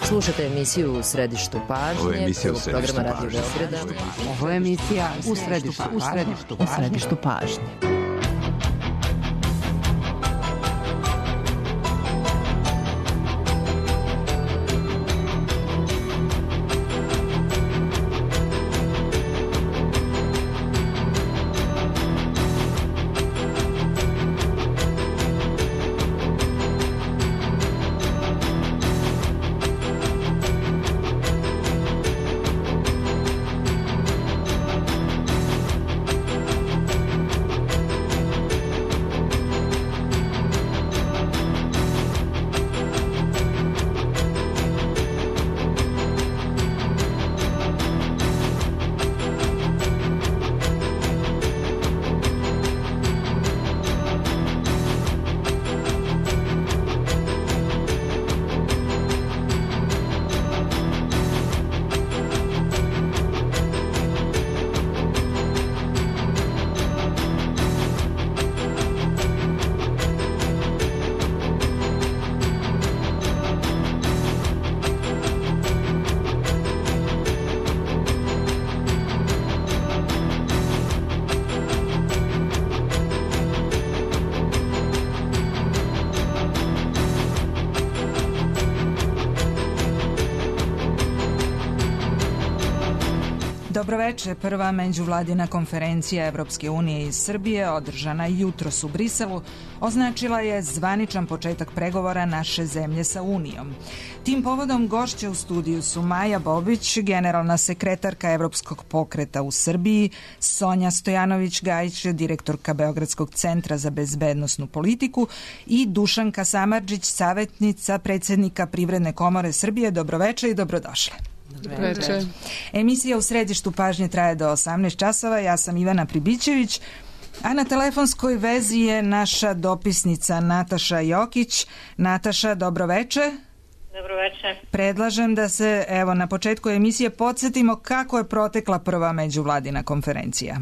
Slušate emisiju U središtu pažnje, programa Radio Beograda. Ovo je emisija U središtu pažnje. Dobroveče, prva međuvladina konferencija Evropske unije iz Srbije, održana jutros u Briselu, označila je zvaničan početak pregovora naše zemlje sa Unijom. Tim povodom gošće u studiju su Maja Bobić, generalna sekretarka Evropskog pokreta u Srbiji, Sonja Stojanović-Gajić, direktorka Beogradskog centra za bezbednosnu politiku i Dušanka Samardžić, savjetnica predsjednika Privredne komore Srbije. Dobroveče i dobrodošle. Dobroveče. Emisija U središtu pažnje traje do 18 časova. Ja sam Ivana Pribićević, a na telefonskoj vezi je naša dopisnica Nataša Jokić. Nataša, dobroveče. Dobroveče. Predlažem da se na početku emisije podsjetimo kako je protekla prva međuvladina konferencija.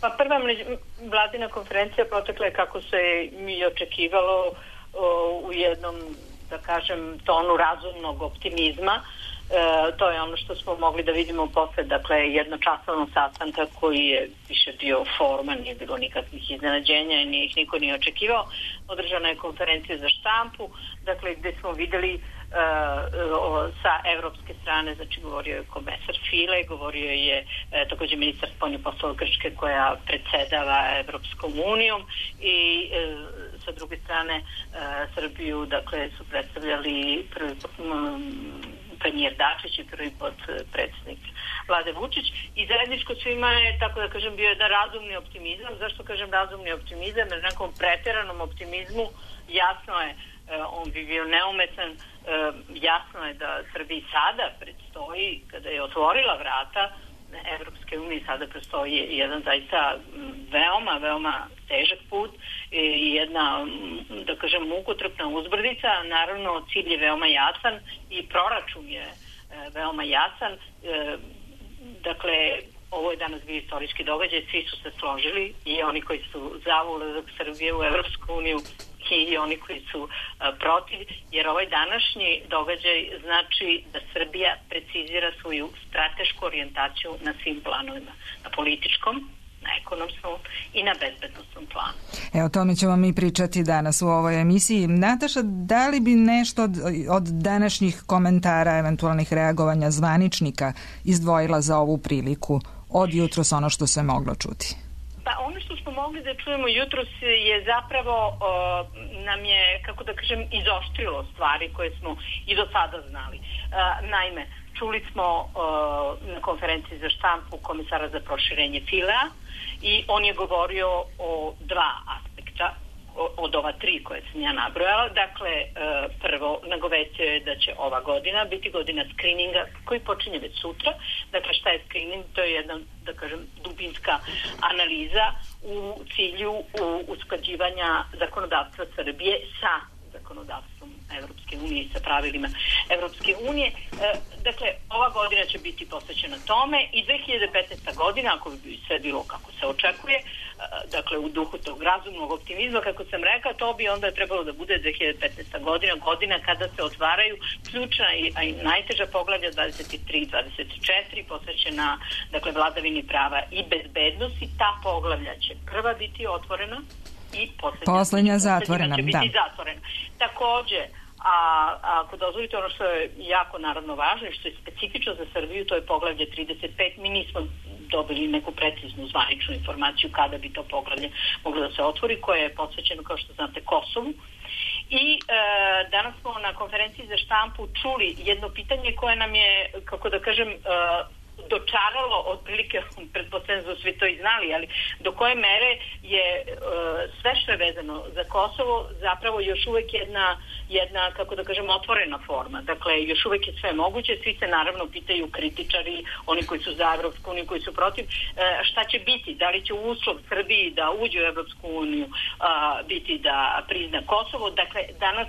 Pa prva međuvladina konferencija protekla je kako se i očekivalo u jednom, da kažem, tonu razumnog optimizma. To je ono što smo mogli da vidimo posle, dakle, jednočasovnog sastanka koji je više bio forma, nije bilo nikakvih iznenađenja i ih niko nije očekivao. Održana je konferencija za štampu, dakle, gde smo videli sa evropske strane, znači govorio je komesar File, govorio je također ministar spoljnih poslova Grčke koja predsedava Evropskom unijom i sa druge strane Srbiju, dakle, su predstavljali prvi premijer Dačić i prvi potpredsjednik Vlade Vučić i zajedničko svima je, tako da kažem, bio jedan razumni optimizam. Zašto kažem razumni optimizam? Jer nekom pretjeranom optimizmu jasno je, on bi bio neumetan, jasno je da Srbiji sada predstoji, kada je otvorila vrata Evropske unije, sada predstoji jedan zaista veoma težak put i jedna, da kažem, mukotrpna uzbrdica. Naravno, cilj je veoma jasan i proračun je veoma jasan. Dakle, ovo je danas bio istorijski događaj, svi su se složili, i oni koji su za ulazak Srbije u Evropsku uniju i oni koji su protiv, jer ovaj današnji događaj znači da Srbija precizira svoju stratešku orijentaciju na svim planovima, na političkom, na ekonomskom i na bezbednostnom planu. O tome ćemo mi pričati danas u ovoj emisiji. Nataša, da li bi nešto od današnjih komentara, eventualnih reagovanja zvaničnika izdvojila za ovu priliku od jutros ono što se moglo čuti? Pa ono što smo mogli da čujemo jutros je zapravo nam je, kako da kažem, izoštrilo stvari koje smo i do sada znali. Naime, čuli smo na konferenciji za štampu komesara za proširenje Filea i on je govorio o dva aspekta od ova tri koje sam ja nabrojala. Dakle, prvo, nagovestio je da će ova godina biti godina skrininga koji počinje već sutra. Dakle, šta je skrining? To je jedna, da kažem, dubinska analiza u cilju usklađivanja zakonodavstva Srbije sa zakonodavstvom Evropske unije i sa pravilima Evropske unije. Dakle, ova godina će biti posvećena tome i 2015. godina, ako bi sve bilo kako se očekuje, dakle u duhu tog razumnog optimizma, kako sam rekla, to bi onda trebalo da bude 2015. godina kada se otvaraju ključna i najteža poglavlja 23-24 posvećena, dakle, vladavini prava i bezbednosti. Ta poglavlja će prva biti otvorena i poslednja zatvorena. Će biti zatvorena. Takođe, a ako dozvolite, ono što je jako naravno važno i što je specifično za Srbiju, to je poglavlje 35. Mi nismo dobili neku preciznu zvaničnu informaciju kada bi to poglavlje moglo da se otvori, koje je posvećeno, kao što znate, Kosovu. I danas smo na konferenciji za štampu čuli jedno pitanje koje nam je, kako da kažem, dočaralo, otprilike, pretpostavljam da su svi to i znali, ali do koje mere je sve što je vezano za Kosovo zapravo još uvek jedna, kako da kažem, otvorena forma. Dakle, još uvek je sve moguće, svi se naravno pitaju, kritičari, oni koji su za Evropsku uniju, koji su protiv, šta će biti, da li će uslov Srbiji da uđe u Evropsku uniju biti da prizna Kosovo. Dakle, danas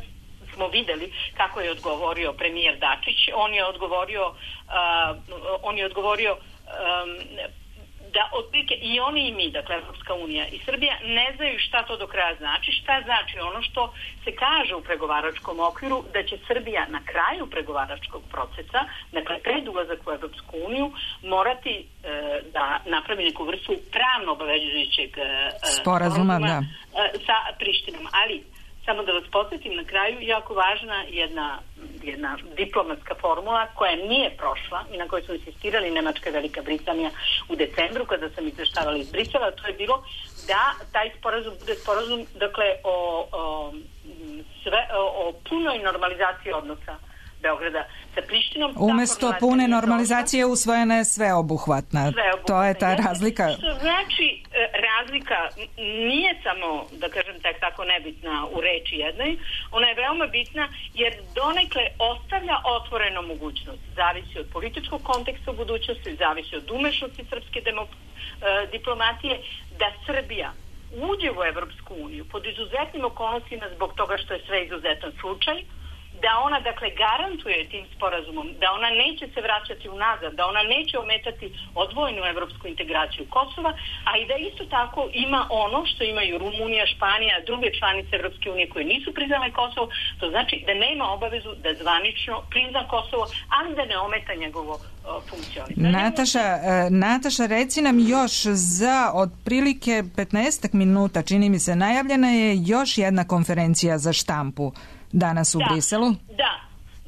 smo videli kako je odgovorio premijer Dačić. On je odgovorio da otprilike i oni i mi, dakle Evropska unija i Srbija, ne znaju šta to do kraja znači. Šta znači ono što se kaže u pregovaračkom okviru, da će Srbija na kraju pregovaračkog procesa, dakle pred ulazak u Evropsku uniju, morati da napravi neku vrstu pravno obavezujućeg sporazuma sa Prištinom. Ali samo da vas podsjetim na kraju, jako važna jedna diplomatska formula koja nije prošla i na kojoj su insistirali Nemačka i Velika Britanija u decembru kada sam izveštavala iz Brisela, to je bilo da taj sporazum bude sporazum, dakle, o punoj normalizaciji odnosa Beograda sa Prištinom. Umesto pune normalizacije usvojena je sveobuhvatna. To je ta razlika. Što znači, razlika nije samo, da kažem, tako nebitna u reči jednoj, ona je veoma bitna jer donekle ostavlja otvorenu mogućnost. Zavisi od političkog konteksta u budućnosti, zavisi od umešnosti srpske diplomatije, da Srbija uđe u Evropsku uniju pod izuzetnim okolnostima zbog toga što je sve izuzetan slučaj, da ona, dakle, garantuje tim sporazumom da ona neće se vraćati unazad, da ona neće ometati odvojenu evropsku integraciju Kosova, a i da isto tako ima ono što imaju Rumunija, Španija, druge članice Evropske unije koje nisu priznale Kosovo, to znači da nema obavezu da zvanično prizna Kosovo, ali da ne ometa njegovo funkcionisanje. Nataša, reci nam još za otprilike 15 minuta, čini mi se, najavljena je još jedna konferencija za štampu danas u Briselu.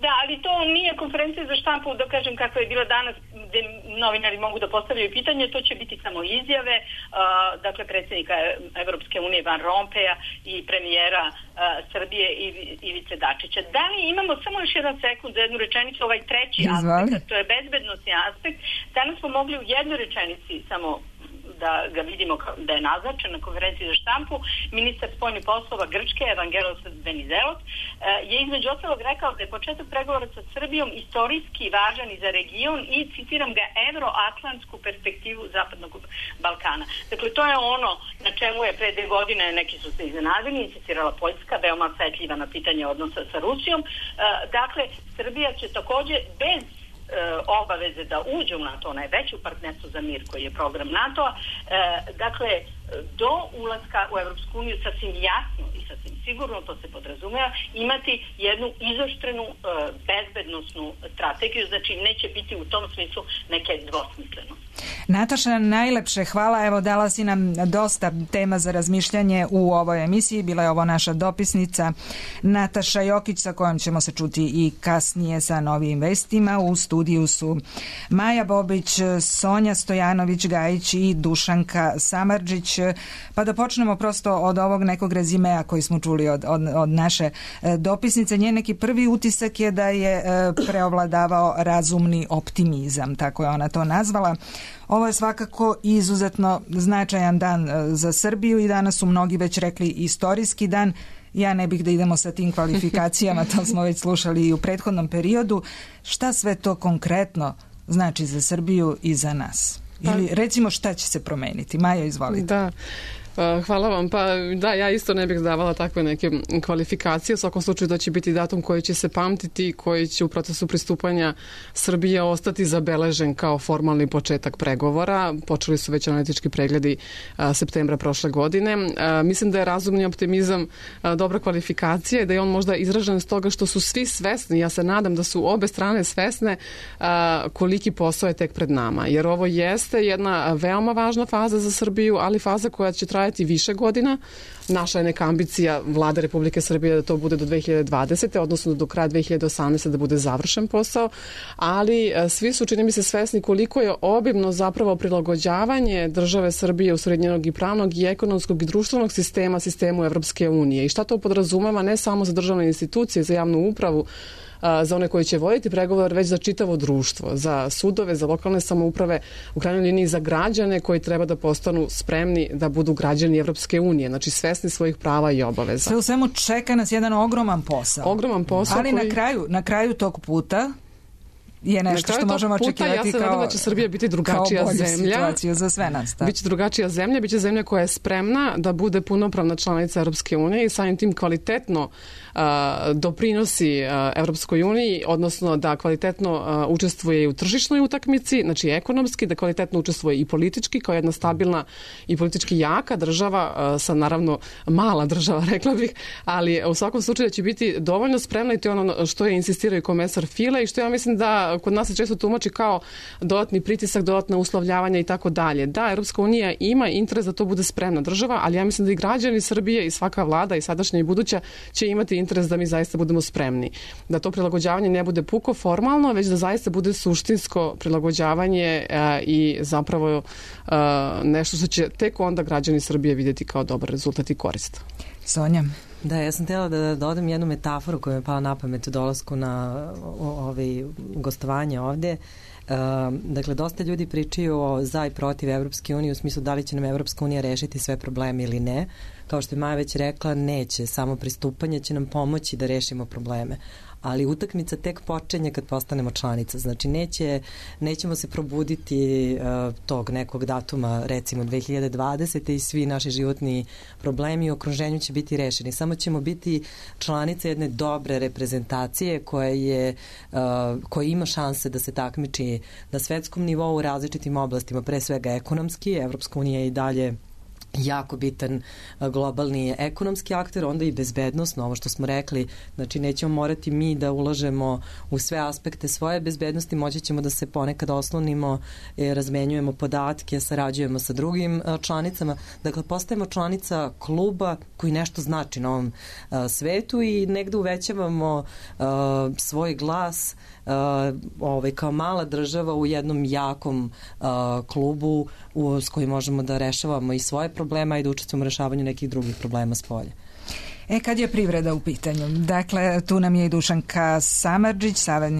Da, ali to nije konferencija za štampu, da kažem, kakva je bila danas, gde novinari mogu da postavljaju pitanje, to će biti samo izjave, dakle, predsjednika Evropske unije Van Rompeja i premijera Srbije Ivice Dačića. Da li imamo samo još jedan sekund za jednu rečenicu, ovaj treći aspekt, to je bezbednosni aspekt. Danas smo mogli u jednoj rečenici samo da ga vidimo da je naznačen na konferenciji za štampu. Ministar spoljnih poslova Grčke, Evangelos Venizelos, je između ostalog rekao da je početak pregovora sa Srbijom istorijski važan i za region i, citiram ga, evroatlantsku perspektivu Zapadnog Balkana. Dakle, to je ono na čemu je pre 2 godine, neki su se iznenadili, insistirala Poljska, veoma osetljiva na pitanje odnosa sa Rusijom. Dakle, Srbija će takođe bez obaveze da uđe u NATO, ona je već u partnerstvu za mir koji je program NATO-a, dakle, do ulaska u Evropsku uniju sasvim jasno i sasvim sigurno, to se podrazumeva, imati jednu izoštrenu bezbednosnu strategiju, znači neće biti u tom smislu neke dvosmislenosti. Nataša, najlepše hvala. Evo, dala si nam dosta tema za razmišljanje u ovoj emisiji. Bila je ovo naša dopisnica Nataša Jokić, sa kojom ćemo se čuti i kasnije sa novim vestima. U studiju su Maja Bobić, Sonja Stojanović-Gajić i Dušanka Samardžić. Pa da počnemo prosto od ovog nekog rezimea koji smo čuli od naše dopisnice. Njen neki prvi utisak je da je preovladavao razumni optimizam, tako je ona to nazvala. Ovo je svakako izuzetno značajan dan za Srbiju i danas su mnogi već rekli istorijski dan. Ja ne bih da idemo sa tim kvalifikacijama, to smo već slušali i u prethodnom periodu. Šta sve to konkretno znači za Srbiju i za nas? Ili recimo šta će se promeniti? Majo, izvolite. Da. Hvala vam. Pa da, ja isto ne bih davala takve neke kvalifikacije. U svakom slučaju da će biti datum koji će se pamtiti, koji će u procesu pristupanja Srbije ostati zabeležen kao formalni početak pregovora. Počeli su već analitički pregledi septembra prošle godine. Mislim da je razumni optimizam dobra kvalifikacija i da je on možda izražen s toga što su svi svesni, ja se nadam da su obe strane svesne koliki posao je tek pred nama. Jer ovo jeste jedna veoma važna faza za Srbiju, ali faza koja će trajati više godina. Naša je neka ambicija Vlade Republike Srbije da to bude do 2020. odnosno do kraja 2018. da bude završen posao, ali svi su, čini mi se, svesni koliko je obimno zapravo prilagođavanje države Srbije u srednjenog i pravnog i ekonomskog i društvenog sistemu Evropske unije. I šta to podrazumeva ne samo za državne institucije, za javnu upravu, za one koji će voditi pregovor, već za čitavo društvo, za sudove, za lokalne samouprave, u krajnjoj liniji za građane koji treba da postanu spremni da budu građani Evropske unije, znači svesni svojih prava i obaveza. Sve u svemu čeka nas jedan ogroman posao. Ogroman posao. Ali na kraju tog puta je nešto što možemo očekivati ja se nadam da će Srbija biti drugačija zemlja. Situaciju za sve nas. Biće drugačija zemlja, biće zemlja koja je spremna da bude punopravna članica Europske unije i samim tim kvalitetno doprinosi Europskoj uniji, odnosno da kvalitetno učestvuje i u tržišnoj utakmici, znači ekonomski, da kvalitetno učestvuje i politički, kao jedna stabilna i politički jaka država, sa naravno mala država, rekla bih, ali u svakom slučaju će biti dovoljno spremna i to je ono što je insistirao i komesar File i što ja mislim da kod nas se često tumači kao dodatni pritisak, dodatna uslovljavanja i tako dalje. Da, Europska unija ima interes da to bude spremna država, ali ja mislim da i građani Srbije i svaka vlada i sadašnja i buduća će imati interes da mi zaista budemo spremni. Da to prilagođavanje ne bude puko formalno, već da zaista bude suštinsko prilagođavanje i zapravo nešto što će tek onda građani Srbije vidjeti kao dobar rezultat i korist. Sonja? Da, ja sam htjela da dodam jednu metaforu koja mi je pala na pamet u dolasku na gostovanje ovdje. Dakle, dosta ljudi pričaju o za i protiv Evropske unije u smislu da li će nam Evropska unija rešiti sve probleme ili ne. Kao što je Maja već rekla, neće. Samo pristupanje će nam pomoći da rešimo probleme. Ali utakmica tek počinje kad postanemo članica. Znači, nećemo se probuditi tog nekog datuma, recimo 2020. i svi naši životni problemi u okruženju će biti rešeni. Samo ćemo biti članica jedne dobre reprezentacije koja ima šanse da se takmiči na svetskom nivou u različitim oblastima, pre svega ekonomski. Evropska unija je i dalje jako bitan globalni ekonomski akter, onda i bezbednosno, ovo što smo rekli, znači nećemo morati mi da ulažemo u sve aspekte svoje bezbednosti, moći ćemo da se ponekad oslonimo, razmenjujemo podatke, sarađujemo sa drugim članicama, dakle postajemo članica kluba koji nešto znači na ovom svetu i negde uvećavamo svoj glas kao mala država u jednom jakom klubu s kojim možemo da rešavamo i svoje problema i da učestvujemo u rešavanju nekih drugih problema s polja. Kad je privreda u pitanju? Dakle, tu nam je i Dušanka Samardžić,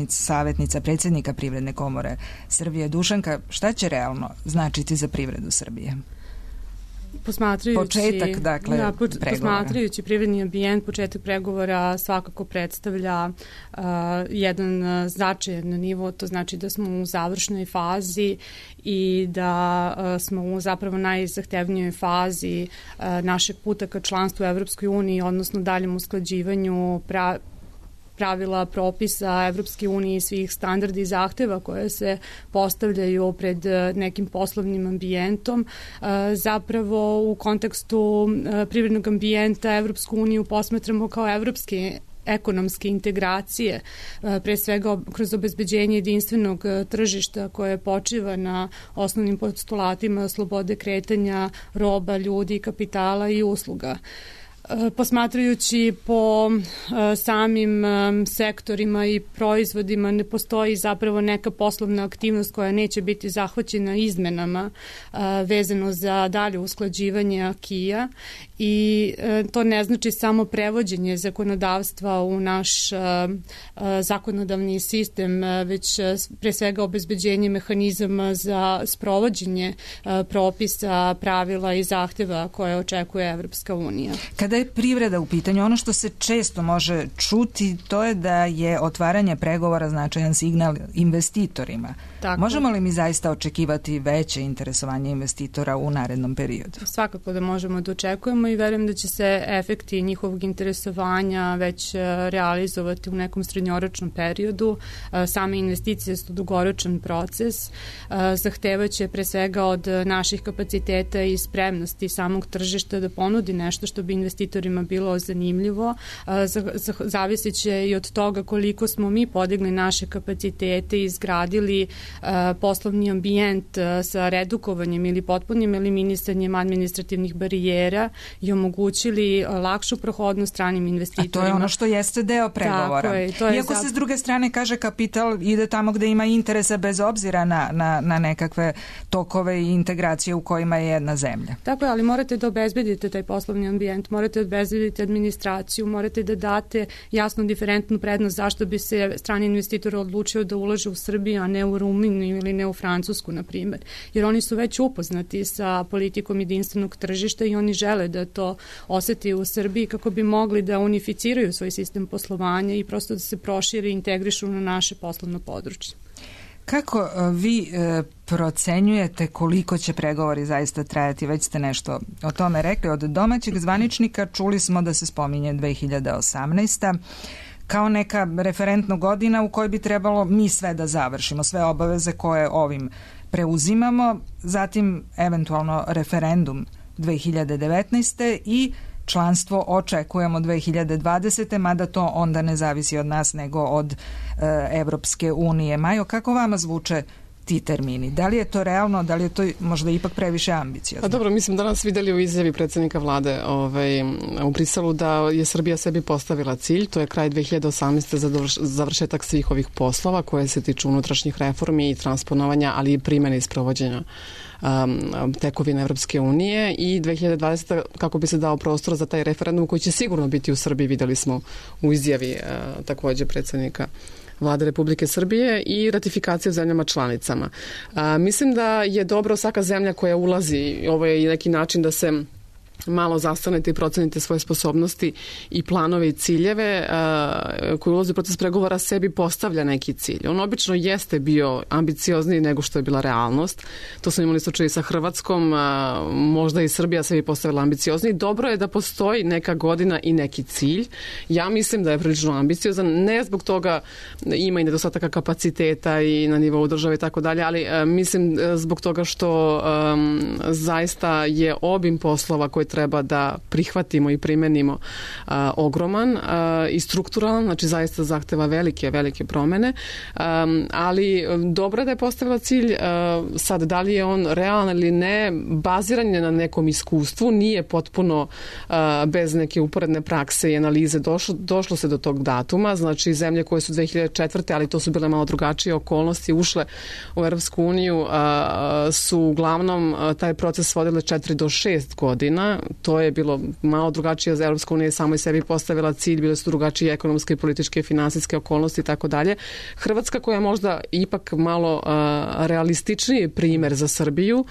savjetnica predsjednika Privredne komore Srbije. Dušanka, šta će realno značiti za privredu Srbije? Posmatrajući privredni ambijent, početak pregovora svakako predstavlja jedan značajan nivo, to znači da smo u završnoj fazi i da smo u zapravo najzahtevnijoj fazi našeg puta ka članstvu u Evropskoj uniji, odnosno daljem usklađivanju pravila, propisa Evropske unije i svih standarda i zahteva koje se postavljaju pred nekim poslovnim ambijentom. Zapravo u kontekstu privrednog ambijenta Evropsku uniju posmatramo kao evropske ekonomske integracije, pre svega kroz obezbeđenje jedinstvenog tržišta koje počiva na osnovnim postulatima slobode kretanja roba, ljudi, kapitala i usluga. Posmatrajući po samim sektorima i proizvodima ne postoji zapravo neka poslovna aktivnost koja neće biti zahvaćena izmenama vezano za dalje usklađivanje akija i to ne znači samo prevođenje zakonodavstva u naš zakonodavni sistem, već pre svega obezbeđenje mehanizama za sprovođenje propisa, pravila i zahteva koje očekuje Evropska unija. Kada je privreda u pitanju, ono što se često može čuti, to je da je otvaranje pregovora značajan signal investitorima. Tako. Možemo li mi zaista očekivati veće interesovanje investitora u narednom periodu? Svakako da možemo da očekujemo i verujem da će se efekti njihovog interesovanja već realizovati u nekom srednjoročnom periodu. Same investicije su dugoročan proces, zahtevaće pre svega od naših kapaciteta i spremnosti samog tržišta da ponudi nešto što bi investitorima bilo zanimljivo. Zavisit će i od toga koliko smo mi podigli naše kapacitete i izgradili poslovni ambijent sa redukovanjem ili potpunim eliminisanjem administrativnih barijera i omogućili lakšu prohodnost stranim investitorima. A to je ono što jeste deo pregovora. Tako je, to je iako se s druge strane kaže kapital ide tamo gde ima interesa bez obzira na nekakve tokove i integracije u kojima je jedna zemlja. Tako je, ali morate da obezbedite taj poslovni ambijent, morate da obezbedite administraciju, morate da date jasnu diferentnu prednost zašto bi se strani investitor odlučio da ulaže u Srbiju, a ne u Rumuniju ili ne u Francusku, na primjer. Jer oni su već upoznati sa politikom jedinstvenog tržišta i oni žele da to oseti u Srbiji kako bi mogli da unificiraju svoj sistem poslovanja i prosto da se prošire i integrišu na naše poslovno područje. Kako vi procenjujete koliko će pregovori zaista trajati? Već ste nešto o tome rekli. Od domaćeg zvaničnika čuli smo da se spominje 2018. kao neka referentna godina u kojoj bi trebalo mi sve da završimo, sve obaveze koje ovim preuzimamo, zatim eventualno referendum 2019. i članstvo očekujemo 2020. mada to onda ne zavisi od nas nego od Evropske unije. Majo, kako vama zvuče ti termini? Da li je to realno, da li je to možda ipak previše ambiciozno? A dobro, mi smo danas videli u izjavi predsjednika vlade u Briselu da je Srbija sebi postavila cilj, to je kraj 2018. za završetak svih ovih poslova koje se tiču unutrašnjih reformi i transponovanja, ali i primjene i sprovođenja tekovine Evropske unije i 2020. kako bi se dao prostor za taj referendum koji će sigurno biti u Srbiji, videli smo u izjavi također predsjednika Vlade Republike Srbije i ratifikacije u zemljama članicama. Mislim da je dobro svaka zemlja koja ulazi, ovo je i neki način da se malo zastanete i procenite svoje sposobnosti i planove i ciljeve koji ulazi u proces pregovora sebi postavlja neki cilj. On obično jeste bio ambiciozniji nego što je bila realnost. To smo imali slučaj sa Hrvatskom, možda i Srbija sebi postavila ambiciozniji. Dobro je da postoji neka godina i neki cilj. Ja mislim da je prilično ambiciozan, ne zbog toga ima i nedostataka kapaciteta i na nivou države i tako dalje, ali mislim zbog toga što zaista je obim poslova koje treba da prihvatimo i primenimo ogroman i strukturalan, znači zaista zahteva velike promene, ali dobro je da je postavila cilj. Sad, da li je on realan ili ne, baziran je na nekom iskustvu, nije potpuno bez neke uporedne prakse i analize došlo se do tog datuma, znači zemlje koje su 2004. ali to su bile malo drugačije okolnosti, ušle u Evropsku uniju, su uglavnom taj proces vodile 4 do 6 godina. To je bilo malo drugačije, za Evropska unija samo i sebi postavila cilj, bile su drugačije ekonomske, političke, finansijske okolnosti i tako dalje. Hrvatska, koja je možda ipak malo realističniji primjer za Srbiju,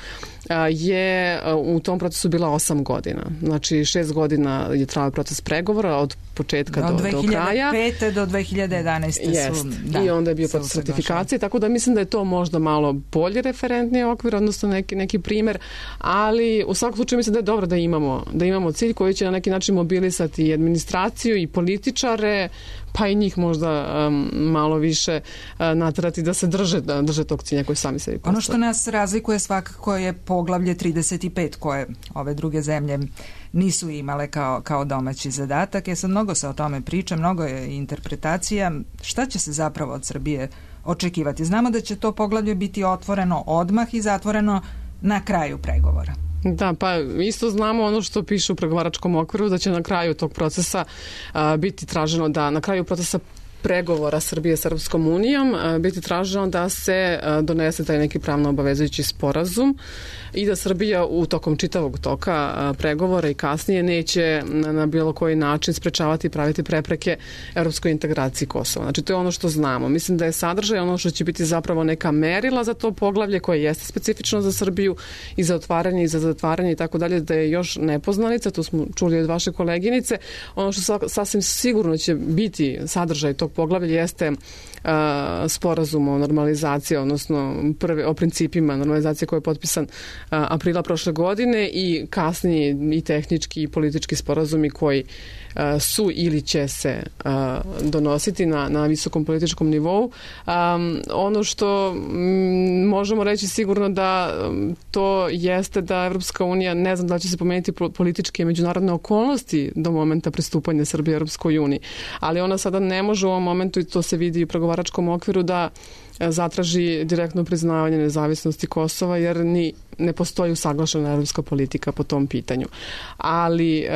je u tom procesu bila 8 godina. Znači 6 godina je trajao proces pregovora od početka do kraja. Od 2005. do 2011. su. Da, i onda je bio proces ratifikacije, tako da mislim da je to možda malo bolji referentni okvir, odnosno neki primjer, ali u svakom slučaju mislim da je dobro da imamo cilj koji će na neki način mobilisati i administraciju i političare, pa i njih možda malo više naterati da se drže tog cilja koji sami sebi postavljaju. Ono što nas razlikuje svakako je poglavlje 35 koje ove druge zemlje nisu imale kao domaći zadatak. Sad mnogo se o tome priča, mnogo je interpretacija. Šta će se zapravo od Srbije očekivati? Znamo da će to poglavlje biti otvoreno odmah i zatvoreno na kraju pregovora. Da, pa isto znamo ono što piše u pregovaračkom okviru, da će na kraju tog procesa biti traženo da na kraju procesa pregovora Srbije s Europskom unijom biti traženo da se donese taj neki pravno obavezujući sporazum i da Srbija u tokom čitavog toka pregovora i kasnije neće na bilo koji način sprečavati i praviti prepreke europskoj integraciji Kosova. Znači, to je ono što znamo. Mislim da je sadržaj ono što će biti zapravo neka merila za to poglavlje koje jeste specifično za Srbiju i za otvaranje i za zatvaranje i tako dalje, da je još nepoznanica, to smo čuli od vaše koleginice. Ono što sasvim sigurno će biti sadržaj tog poglavlja jeste sporazum o normalizaciji, odnosno o principima normalizacije koji je potpisan aprila prošle godine i kasnije i tehnički i politički sporazumi koji su ili će se donositi na visokom političkom nivou. Ono što možemo reći sigurno da to jeste da Evropska unija, ne znam da li će se pomeniti političke i međunarodne okolnosti do momenta pristupanja Srbije Evropskoj uniji, ali ona sada ne može u ovom momentu, i to se vidi u pregovaračkom okviru, da zatraži direktno priznavanje nezavisnosti Kosova, jer ne postoji usaglašena evropska politika po tom pitanju. Ali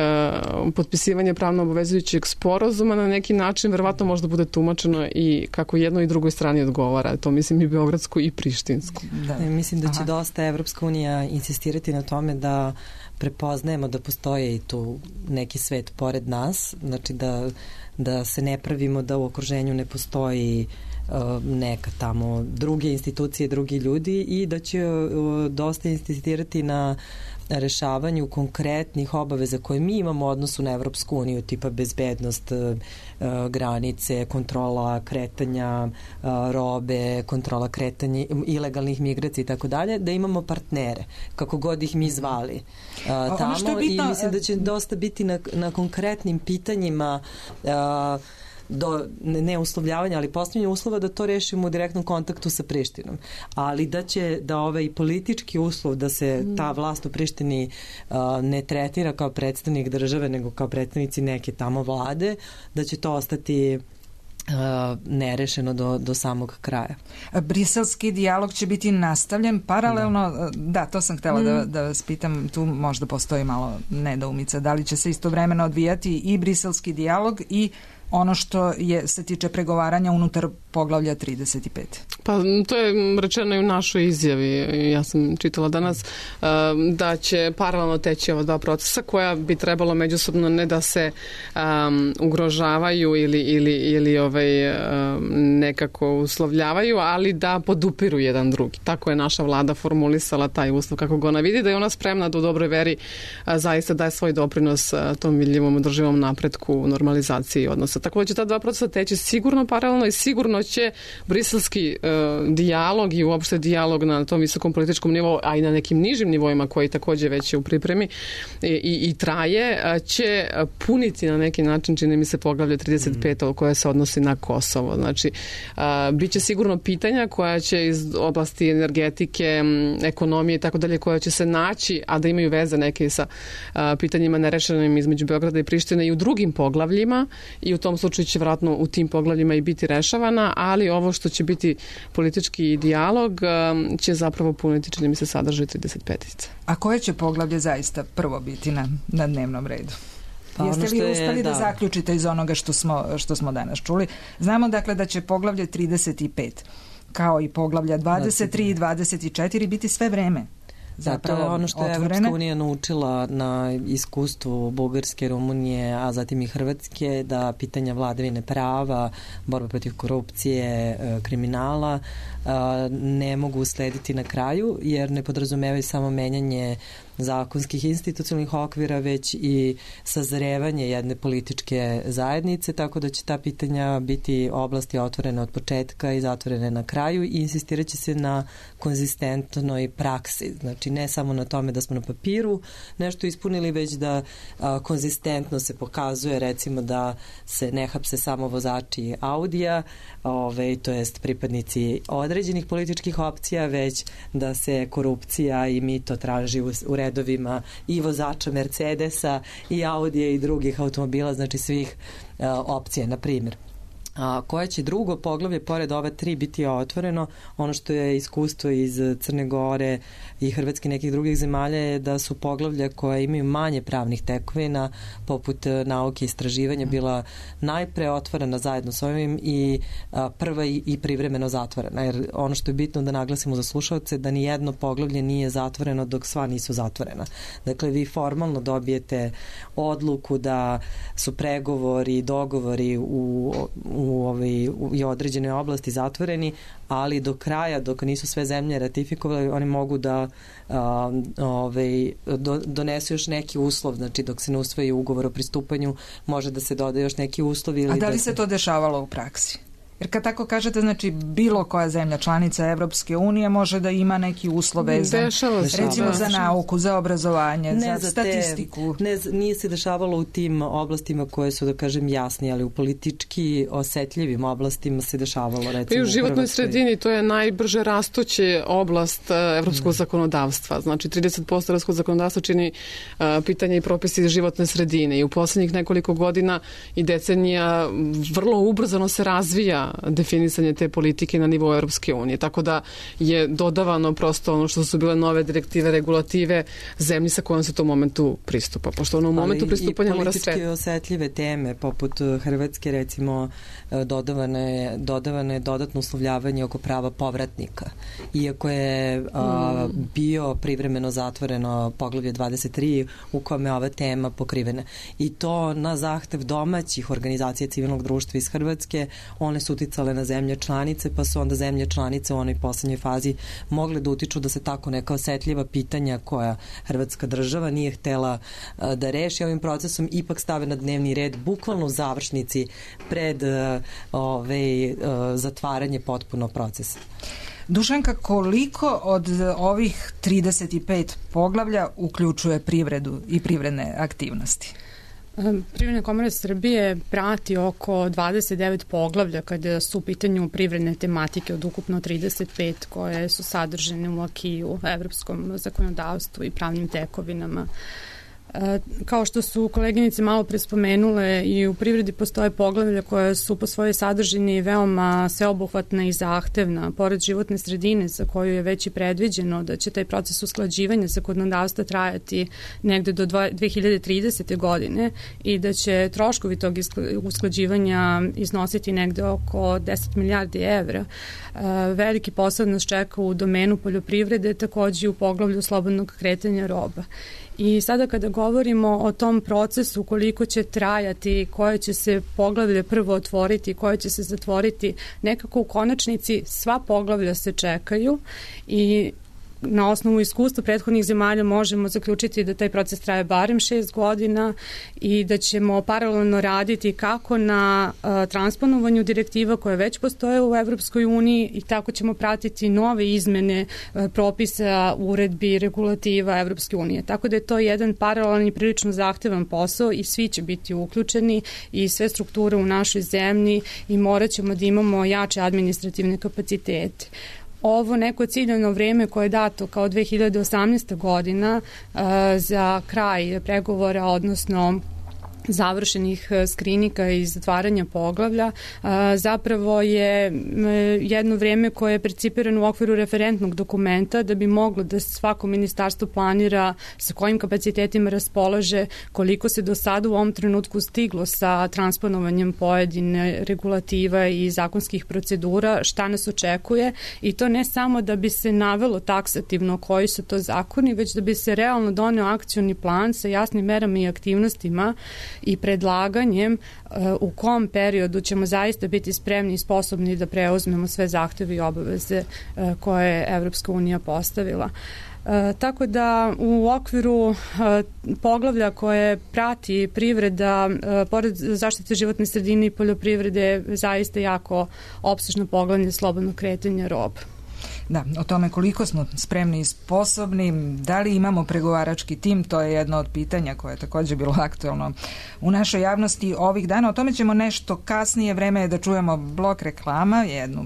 potpisivanje pravno obavezujućeg sporazuma na neki način verovatno možda bude tumačeno i kako jednoj i drugoj strani odgovara. To mislim i beogradsku i prištinsku. Da. Mislim da će dosta Evropska unija insistirati na tome da prepoznajemo da postoje i tu neki svet pored nas, znači da se ne pravimo da u okruženju ne postoji neka tamo druge institucije, drugi ljudi i da će dosta insistirati na rešavanju konkretnih obaveza koje mi imamo u odnosu na Evropsku uniju, tipa bezbednost granice, kontrola kretanja robe, kontrola kretanja ilegalnih migracija i tako dalje, da imamo partnere, kako god ih mi zvali tamo i mislim da će dosta biti na konkretnim pitanjima do ne uslovljavanja, ali postavljanja uslova da to rešimo u direktnom kontaktu sa Prištinom. Ali da ovaj politički uslov da se ta vlast u Prištini ne tretira kao predstavnik države, nego kao predstavnici neke tamo vlade, da će to ostati nerešeno do samog kraja. Briselski dijalog će biti nastavljen paralelno, da to sam htjela da vas pitam, tu možda postoji malo nedoumica, da li će se istovremeno odvijati i briselski dijalog i ono što se tiče pregovaranja unutar poglavlja 35. Pa to je rečeno i u našoj izjavi. Ja sam čitala danas da će paralelno teći ova dva procesa koja bi trebalo međusobno ne da se ugrožavaju ili nekako uslovljavaju, ali da podupiru jedan drugi. Tako je naša vlada formulisala taj uslov kako ga ona vidi, da je ona spremna da u dobroj veri zaista daje svoj doprinos tom vidljivom održivom napretku, normalizaciji odnosa. Tako da će ta dva procesa teći sigurno paralelno i sigurno će briselski dijalog i uopšte dijalog na tom visokom političkom nivou, a i na nekim nižim nivoima koji takođe već je u pripremi i traje, će puniti na neki način, čini mi se, poglavlje 35 koje se odnosi na Kosovo. Znači, bit će sigurno pitanja koja će iz oblasti energetike, ekonomije i tako dalje, koja će se naći, a da imaju veze neke sa pitanjima nerešenim između Beograda i Prištine i u drugim poglavljima, i u tom slučaju će vratno u tim poglavljima i biti rešavana, ali ovo što će biti politički dijalog će zapravo puniti, čini mi se, sadržaj 35. A koje će poglavlje zaista prvo biti na dnevnom redu? Pa jeste li uspeli da zaključite iz onoga što smo danas čuli? Znamo dakle da će poglavlje 35 kao i poglavlja 23 i 24 biti sve vreme. Zato je ono što je Evropska unija naučila na iskustvu Bugarske, Rumunije, a zatim i Hrvatske, da pitanja vladavine prava, borba protiv korupcije, kriminala ne mogu uslediti na kraju, jer ne podrazumevaju samo menjanje zakonskih institucionalnih okvira, već i sazrevanje jedne političke zajednice, tako da će ta pitanja biti oblasti otvorene od početka i zatvorene na kraju i insistirat će se na konzistentnoj praksi. Znači, ne samo na tome da smo na papiru nešto ispunili, već da konzistentno se pokazuje, recimo, da se ne hapse samo vozači Audija, to jest pripadnici određenih političkih opcija, već da se korupcija i mito traži u redovima i vozača Mercedesa i Audija i drugih automobila, znači svih opcija, na primjer. A koje će drugo poglavlje pored ove 3 biti otvoreno? Ono što je iskustvo iz Crne Gore i Hrvatske i nekih drugih zemalja je da su poglavlja koje imaju manje pravnih tekovina, poput nauke i istraživanja, bila najpre otvorena zajedno s ovim i prva i privremeno zatvorena. Jer ono što je bitno da naglasimo za slušalce, da ni jedno poglavlje nije zatvoreno dok sva nisu zatvorena. Dakle, vi formalno dobijete odluku da su pregovori i dogovori u određene oblasti zatvoreni, ali do kraja, dok nisu sve zemlje ratifikovali, oni mogu da donesu još neki uslov, znači dok se ne usvoji ugovor o pristupanju, može da se doda još neki uslov. A da li se to dešavalo u praksi? Jer kad tako kažete, znači bilo koja zemlja članica Evropske unije može da ima neki uslov vezan, recimo za nauku, za obrazovanje, za statistiku. Nije se dešavalo u tim oblastima koje su, da kažem, jasni, ali u politički osetljivim oblastima se dešavalo, recimo. I u životnoj sredini to je najbrže rastuća oblast evropskog zakonodavstva. Znači 30% evropskog zakonodavstva čini pitanje i propisi iz životne sredine i u poslednjih nekoliko godina i decenija vrlo ubrzano se razvija definisanje te politike na nivou Europske unije. Tako da je dodavano prosto ono što su bile nove direktive, regulative zemlji sa kojom se u tom momentu pristupa. Pošto ono u momentu pristupanja mora sve. Ali i politički osetljive teme, poput Hrvatske, recimo, dodavano je dodatno uslovljavanje oko prava povratnika. Iako je bio privremeno zatvoreno poglavlje 23 u kome je ova tema pokrivena. I to na zahtev domaćih organizacija civilnog društva iz Hrvatske, one su uticale na zemlje članice, pa su onda zemlje članice u onoj poslednjoj fazi mogle da utiču da se tako neka osetljiva pitanja koja Hrvatska država nije htela da reši ovim procesom, ipak stave na dnevni red bukvalno u završnici pred zatvaranje potpuno procesa. Dušanka, koliko od ovih 35 poglavlja uključuje privredu i privredne aktivnosti? Privredna komora Srbije prati oko 29 poglavlja kada su u pitanju privredne tematike od ukupno 35 koje su sadržane u akiju, evropskom zakonodavstvu i pravnim tekovinama. Kao što su koleginice malo pre spomenule, i u privredi postoje poglavlja koje su po svojoj sadržini veoma sveobuhvatna i zahtevna, pored životne sredine za koju je već i predviđeno da će taj proces usklađivanja zakonodavstva trajati negde do 2030. godine i da će troškovi tog usklađivanja iznositi negde oko 10 milijardi evra. Veliki posao nas čeka u domenu poljoprivrede, takođe i u poglavlju slobodnog kretanja roba. I sada kada govorimo o tom procesu, koliko će trajati, koje će se poglavlje prvo otvoriti, koje će se zatvoriti, nekako u konačnici sva poglavlja se čekaju i na osnovu iskustva prethodnih zemalja možemo zaključiti da taj proces traje barem 6 godina i da ćemo paralelno raditi kako na transponovanju direktiva koje već postoje u Evropskoj uniji i tako ćemo pratiti nove izmene propisa, uredbi, regulativa Evropske unije. Tako da je to jedan paralelan i prilično zahtevan posao i svi će biti uključeni i sve strukture u našoj zemlji i morat ćemo da imamo jače administrativne kapacitete. Ovo neko ciljano vreme koje je dato kao 2018. godina za kraj pregovora, odnosno završenih skrinika i zatvaranja poglavlja, zapravo je jedno vreme koje je percipirano u okviru referentnog dokumenta da bi moglo da svako ministarstvo planira sa kojim kapacitetima raspolaže, koliko se do sada u ovom trenutku stiglo sa transponovanjem pojedine regulativa i zakonskih procedura, šta nas očekuje, i to ne samo da bi se navelo taksativno koji su to zakoni, već da bi se realno doneo akcioni plan sa jasnim merama i aktivnostima i predlaganjem u kom periodu ćemo zaista biti spremni i sposobni da preuzmemo sve zahteve i obaveze koje je Evropska unija postavila. Tako da u okviru poglavlja koje prati privreda, pored zaštite životne sredine i poljoprivrede, zaista jako opsežno poglavlje slobodno kretanje roba. Da, o tome koliko smo spremni i sposobni, da li imamo pregovarački tim, to je jedno od pitanja koje je također bilo aktualno u našoj javnosti ovih dana. O tome ćemo nešto kasnije, vreme je da čujemo blok reklama, jednu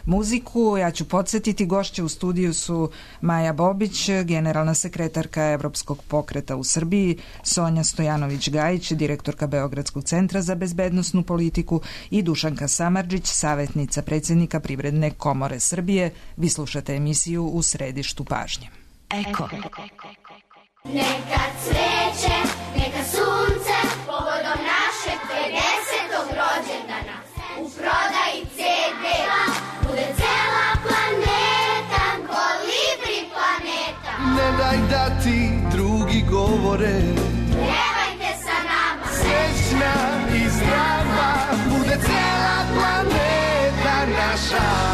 muziku. Ja ću podsjetiti, gošće u studiju su Maja Bobić, generalna sekretarka Evropskog pokreta u Srbiji, Sonja Stojanović-Gajić, direktorka Beogradskog centra za bezbednosnu politiku i Dušanka Samardžić, savjetnica predsjednika Privredne komore Srbije. Vi slušate emisiju U središtu pažnje. Eko. Neka cveće, neka sunce, povodom našeg 50. rođendana. U prodaji CD-a bude cela planeta, kolibri planeta. Ne daj da ti drugi govore, pjevajte sa nama. Srećna i zdrava, bude cela planeta naša.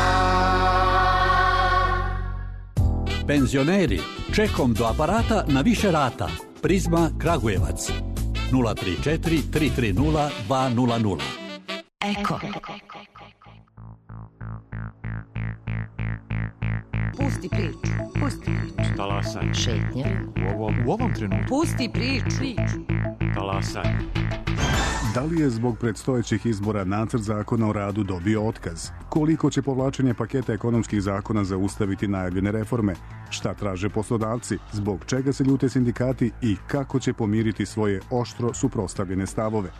Penzioneri, čekom do aparata na više rata. Prizma Kragujevac 034 330 200. Eko. Pusti priču. Talasanje. Šetnja. U ovom trenutku. Pusti priču. Talasanje. Da li je zbog predstojećih izbora nacrt zakona o radu dobio otkaz? Koliko će povlačenje paketa ekonomskih zakona zaustaviti najavljene reforme? Šta traže poslodavci? Zbog čega se ljute sindikati i kako će pomiriti svoje oštro suprotstavljene stavove?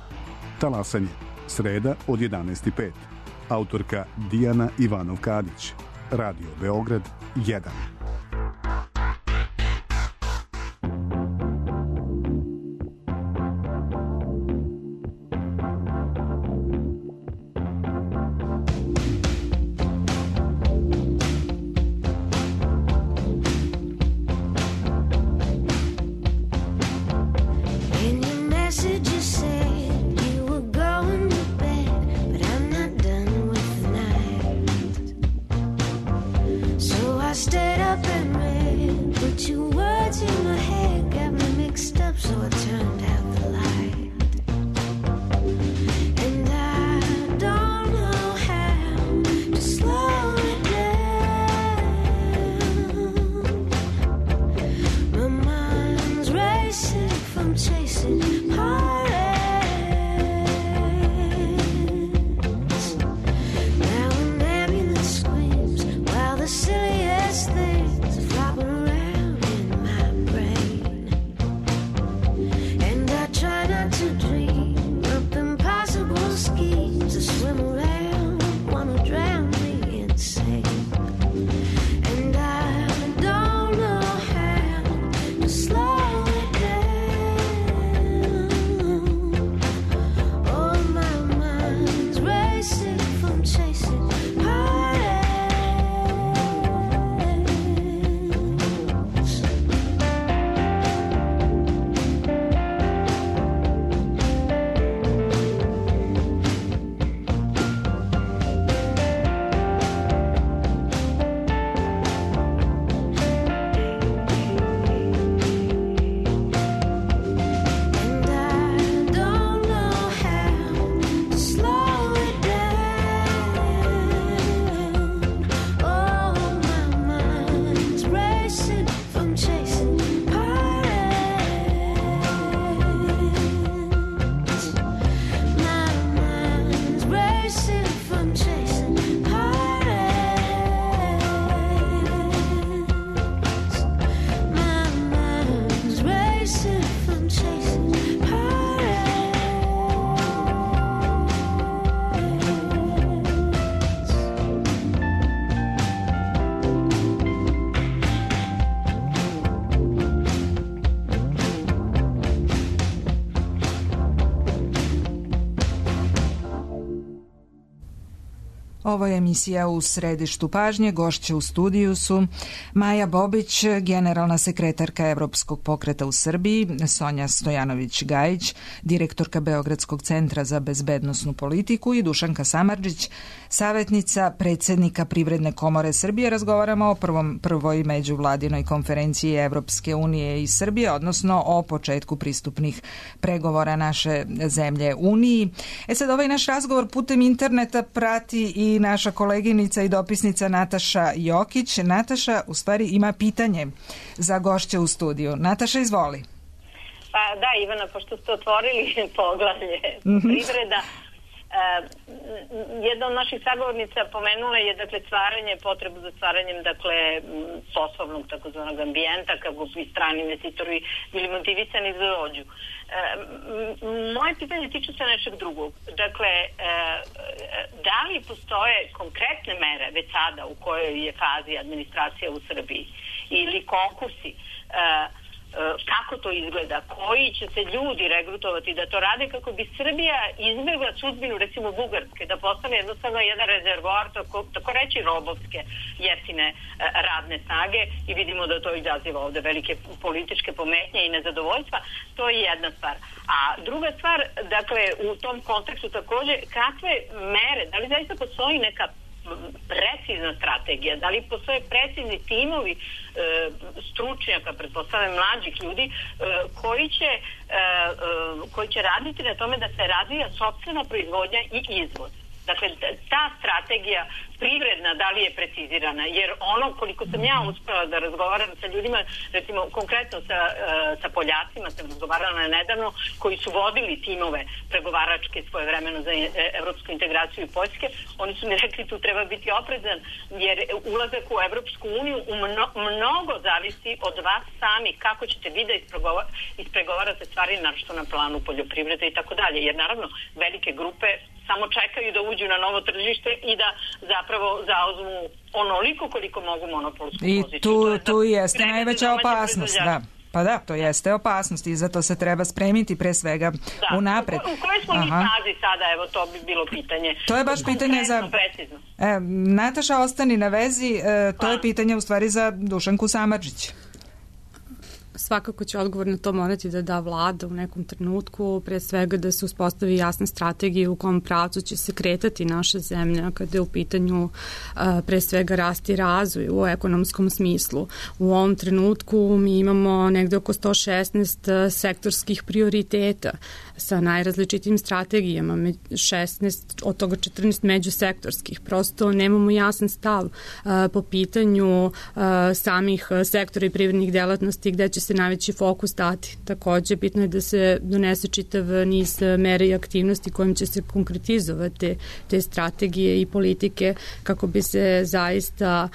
Talasanje. Sreda od 11:05. Autorka Dijana Ivanov-Kadić. Radio Beograd 1. Ovo je emisija U središtu pažnje. Gošće u studiju su Maja Bobić, generalna sekretarka Evropskog pokreta u Srbiji, Sonja Stojanović-Gajić, direktorka Beogradskog centra za bezbednosnu politiku i Dušanka Samardžić, savjetnica predsjednika Privredne komore Srbije. Razgovaramo o prvoj međuvladinoj konferenciji Evropske unije i Srbije, odnosno o početku pristupnih pregovora naše zemlje Uniji. Sad ovaj naš razgovor putem interneta prati i naša koleginica i dopisnica Nataša Jokić. Nataša u stvari ima pitanje za gošće u studiju. Nataša, izvoli. Pa da, Ivana, pošto ste otvorili poglavlje privreda, Jedna od naših sagovornica pomenula je dakle potrebu za stvaranjem dakle poslovnog takozvanog ambijenta kako bi strani investitori bili motivisani za dođu. Moje pitanje tiče se nečeg drugog. Dakle, da li postoje konkretne mere već sada u kojoj je fazi administracija u Srbiji ili konkursi, kako to izgleda, koji će se ljudi regrutovati da to rade kako bi Srbija izbjegla sudbinu recimo Bugarske, da postane jednostavno jedan rezervoar tako reći robovske jeftine radne snage i vidimo da to izaziva ovde velike političke pometnje i nezadovoljstva. To je jedna stvar. A druga stvar, dakle, u tom kontekstu takođe, kakve mere, da li zaista postoji neka precizna strategija, da li postoje precizni timovi stručnjaka, pretpostavljam mlađih ljudi koji će raditi na tome da se razvija sopstvena proizvodnja i izvoz. Dakle, ta strategija privredna, da li je precizirana? Jer ono, koliko sam ja uspela da razgovaram sa ljudima, recimo konkretno sa Poljacima sam razgovarala nedavno, koji su vodili timove pregovaračke svojevremeno za evropsku integraciju i Poljske, oni su mi rekli tu treba biti oprezan, jer ulazak u Evropsku uniju mnogo zavisi od vas sami, kako ćete vi da ispregovarate stvari, našto na planu poljoprivrede i tako dalje. Jer naravno, velike grupe samo čekaju da uđu na novo tržište i da zapravo zauzmu onoliko koliko mogu monopolsku poziciju. I tu jeste najveća opasnost, da. Pa da, to jeste opasnost i zato se treba spremiti pre svega unapred. U kojoj smo mi fazi sada, evo to bi bilo pitanje. To je baš pitanje za... Nataša, ostani na vezi, to je pitanje u stvari za Dušanku Samardžić. Svakako će odgovor na to morati da da vlada u nekom trenutku, pre svega da se uspostavi jasna strategija u kom pravcu će se kretati naša zemlja kada je u pitanju pre svega rast i razvoj u ekonomskom smislu. U ovom trenutku mi imamo negde oko 116 sektorskih prioriteta sa najrazličitim strategijama, 16, od toga 14 međusektorskih. Prosto nemamo jasan stav po pitanju samih sektora i privrednih delatnosti gde će se najveći fokus dati. Takođe, bitno je da se donese čitav niz mera i aktivnosti kojim će se konkretizovati te strategije i politike kako bi se zaista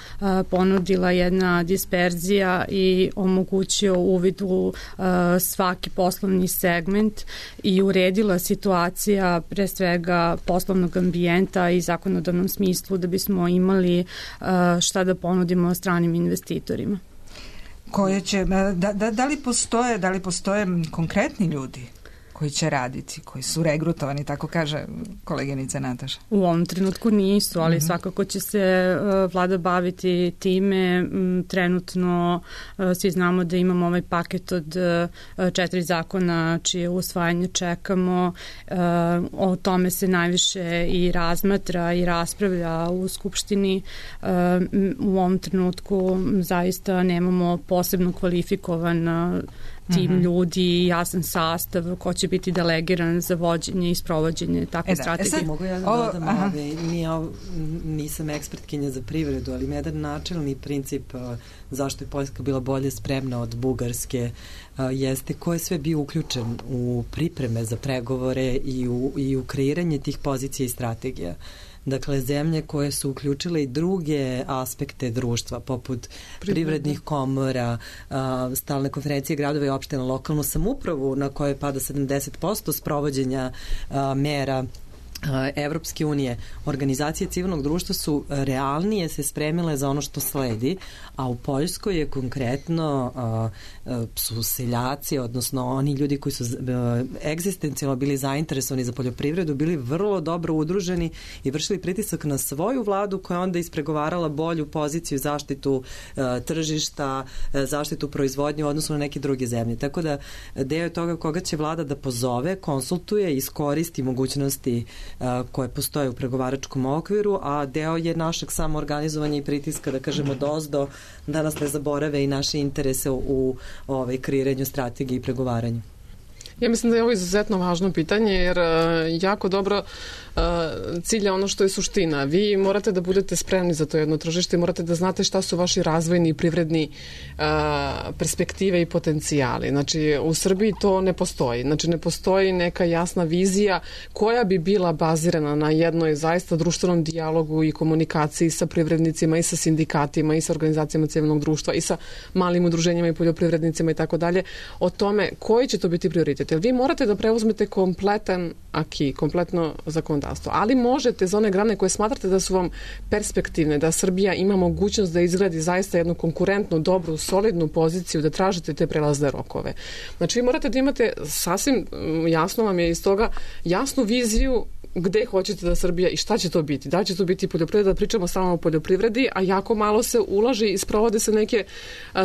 ponudila jedna disperzija i omogućio uvid u svaki poslovni segment i uredila situacija pre svega poslovnog ambijenta i zakonodavnom smislu da bismo imali šta da ponudimo stranim investitorima. Koje će, da li postoje konkretni ljudi koji će raditi, koji su regrutovani, tako kaže koleginica Nataša? U ovom trenutku nisu, ali svakako će se vlada baviti time. Trenutno svi znamo da imamo ovaj paket od 4 zakona čije usvajanje čekamo. O tome se najviše i razmatra i raspravlja u Skupštini. U ovom trenutku zaista nemamo posebno kvalifikovan tim ljudi, jasan sastav ko će biti delegiran za vođenje i sprovođenje takve strategije. Mogu ja da dodam, nisam ekspertkinja za privredu, ali jedan načelni princip zašto je Poljska bila bolje spremna od Bugarske jeste ko je sve bio uključen u pripreme za pregovore i u kreiranje tih pozicija i strategija. Dakle, zemlje koje su uključile i druge aspekte društva, poput privrednih komora, stalne konferencije gradova i opština, lokalnu samoupravu na kojoj pada 70% sprovođenja mera Evropske unije, organizacije civilnog društva su realnije se spremile za ono što sledi, a u Poljskoj je konkretno su seljaci, odnosno oni ljudi koji su egzistencijalno bili zainteresovani za poljoprivredu, bili vrlo dobro udruženi i vršili pritisak na svoju vladu koja onda ispregovarala bolju poziciju, zaštitu tržišta, zaštitu proizvodnje u odnosu na neke druge zemlje. Tako da deo toga koga će vlada da pozove, konsultuje, iskoristi mogućnosti koje postoje u pregovaračkom okviru, a deo je našeg samoorganizovanja i pritiska, da kažemo, dozdo, da nas ne zaborave i naše interese u kreiranju strategije i pregovaranju. Ja mislim da je ovo izuzetno važno pitanje jer jako dobro cilja ono što je suština. Vi morate da budete spremni za to jedno tržište i morate da znate šta su vaši razvojni i privredni perspektive i potencijali. Znači, u Srbiji to ne postoji. Znači, ne postoji neka jasna vizija koja bi bila bazirana na jednoj zaista društvenom dijalogu i komunikaciji sa privrednicima i sa sindikatima i sa organizacijama civilnog društva i sa malim udruženjima i poljoprivrednicima i tako dalje o tome koji će to biti prioritet. Jer vi morate da preuzmete kompletan aki, kompletno zakonodavstvo. Ali možete za one grane koje smatrate da su vam perspektivne, da Srbija ima mogućnost da izgradi zaista jednu konkurentnu, dobru, solidnu poziciju, da tražite te prelazne rokove. Znači vi morate da imate sasvim jasno vam je iz toga jasnu viziju gde hoćete da Srbija i šta će to biti. Da će to biti poljoprivreda, da pričamo samo o poljoprivredi, a jako malo se ulaže i sprovode se neke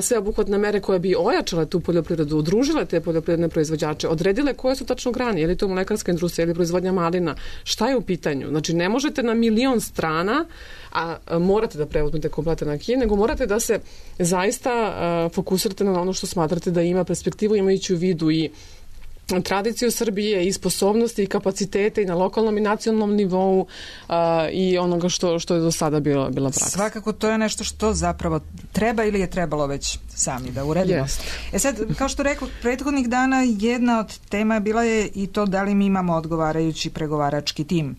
sveobuhvatne mere koje bi ojačale tu poljoprivredu, udružile te poljoprivredne proizvođače, odredile koje su tačno grane, je li to mlekarska industrija ili proizvodnja malina, šta je u pitanju. Znači ne možete na 1.000.000 strana, a morate da preuzmete kompletan aki, nego morate da se zaista fokusirate na ono što smatrate da ima perspektivu, imajući u vidu i tradiciju Srbije i sposobnosti i kapacitete i na lokalnom i nacionalnom nivou i onoga što je do sada bila praksa. Svakako to je nešto što zapravo treba ili je trebalo već sami da uredimo. Yes. Sad, kao što rekao, prethodnih dana jedna od tema bila je i to da li mi imamo odgovarajući pregovarački tim.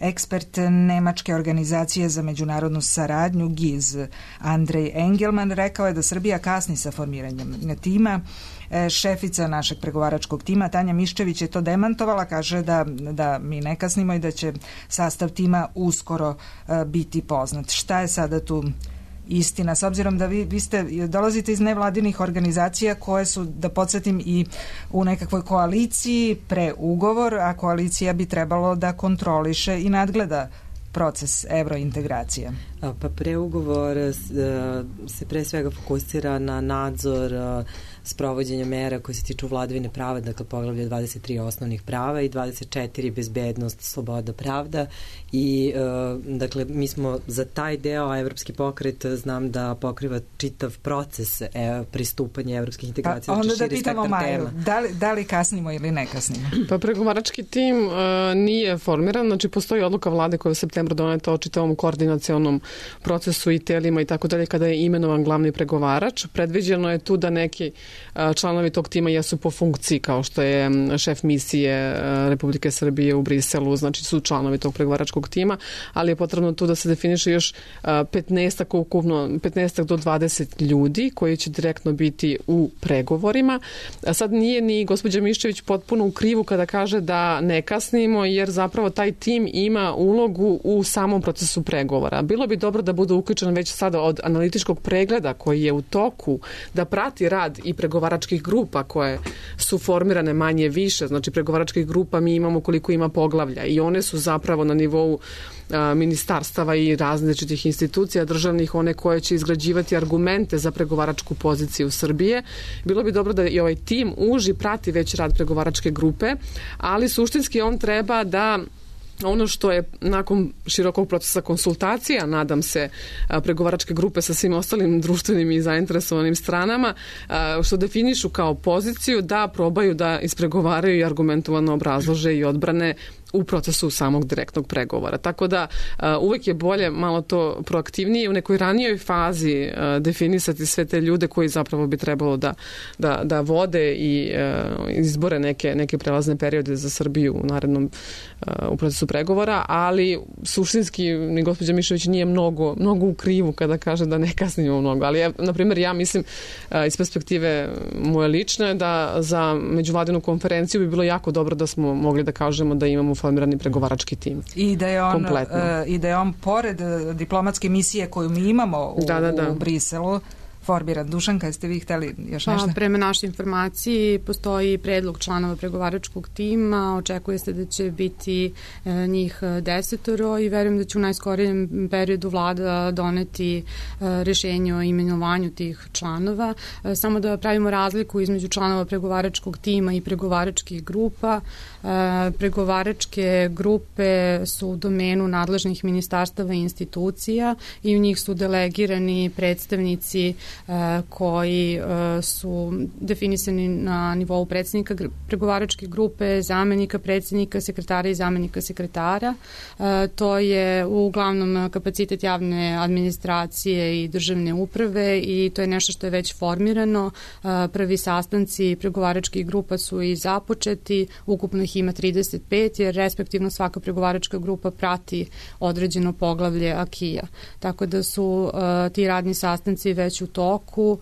Ekspert nemačke organizacije za međunarodnu saradnju GIZ Andrej Engelman rekao je da Srbija kasni sa formiranjem tima. Šefica našeg pregovaračkog tima Tanja Miščević je to demantovala, kaže da mi ne kasnimo i da će sastav tima uskoro biti poznat. Šta je sada tu istina, s obzirom da vi dolazite iz nevladinih organizacija koje su, da podsjetim, i u nekakvoj koaliciji pre ugovor, a koalicija bi trebalo da kontroliše i nadgleda proces evrointegracije? Pa preugovor se pre svega fokusira na nadzor sprovođenja mera koje se tiču vladavine prava, dakle poglavlje 23 osnovnih prava i 24 bezbednost, sloboda, pravda i dakle mi smo za taj deo, a Evropski pokret znam da pokriva čitav proces pristupanja evropskih integracija. Pa onda da pitamo Maju, da li kasnimo ili ne kasnimo? Pa pregovarački tim nije formiran, znači postoji odluka vlade koja je u septembru doneta o čitavom koordinacionom procesu i telima i tako dalje kada je imenovan glavni pregovarač. Predviđeno je tu da neki članovi tog tima jesu po funkciji, kao što je šef misije Republike Srbije u Briselu, znači su članovi tog pregovaračkog tima, ali je potrebno tu da se definiše još 15 do 20 ljudi koji će direktno biti u pregovorima. Sad nije ni gospođa Miščević potpuno u krivu kada kaže da ne kasnimo, jer zapravo taj tim ima ulogu u samom procesu pregovora. Bilo bi dobro da bude uključen već sada od analitičkog pregleda koji je u toku, da prati rad i pregovaračkih grupa koje su formirane manje više, znači pregovaračkih grupa mi imamo koliko ima poglavlja i one su zapravo na nivou ministarstava i različitih institucija državnih, one koje će izgrađivati argumente za pregovaračku poziciju Srbije. Bilo bi dobro da i ovaj tim uži prati već rad pregovaračke grupe, ali suštinski on treba da ono što je nakon širokog procesa konsultacija, nadam se, pregovaračke grupe sa svim ostalim društvenim i zainteresovanim stranama, što definišu kao poziciju da probaju da ispregovaraju i argumentovano obrazlože i odbrane u procesu samog direktnog pregovora. Tako da uvek je bolje malo to proaktivnije u nekoj ranijoj fazi definisati sve te ljude koji zapravo bi trebalo da vode i izbore neke prelazne periode za Srbiju u narednom u procesu pregovora, ali suštinski ni gospođa Mišović nije mnogo u krivu kada kaže da ne kasnimo mnogo. Ali na primjer ja mislim iz perspektive moje lične da za međuvladinu konferenciju bi bilo jako dobro da smo mogli da kažemo da imamo formirani pregovarački tim. I da je on pored diplomatske misije koju mi imamo u Briselu formiran. Dušanka, jeste vi hteli još nešto? Prema našoj informaciji postoji predlog članova pregovaračkog tima, očekuje se da će biti njih 10 i verujem da će u najskorijem periodu vlada doneti rešenje o imenovanju tih članova. Samo da pravimo razliku između članova pregovaračkog tima i pregovaračkih grupa. Pregovaračke grupe su u domenu nadležnih ministarstava i institucija i u njih su delegirani predstavnici koji su definisani na nivou predsjednika pregovaračke grupe, zamenika predsjednika, sekretara i zamenika sekretara. To je uglavnom kapacitet javne administracije i državne uprave i to je nešto što je već formirano. Prvi sastanci pregovaračkih grupa su i započeti, ukupno ih ima 35, jer respektivno svaka pregovaračka grupa prati određeno poglavlje akija. Tako da su ti radni sastanci već u toku,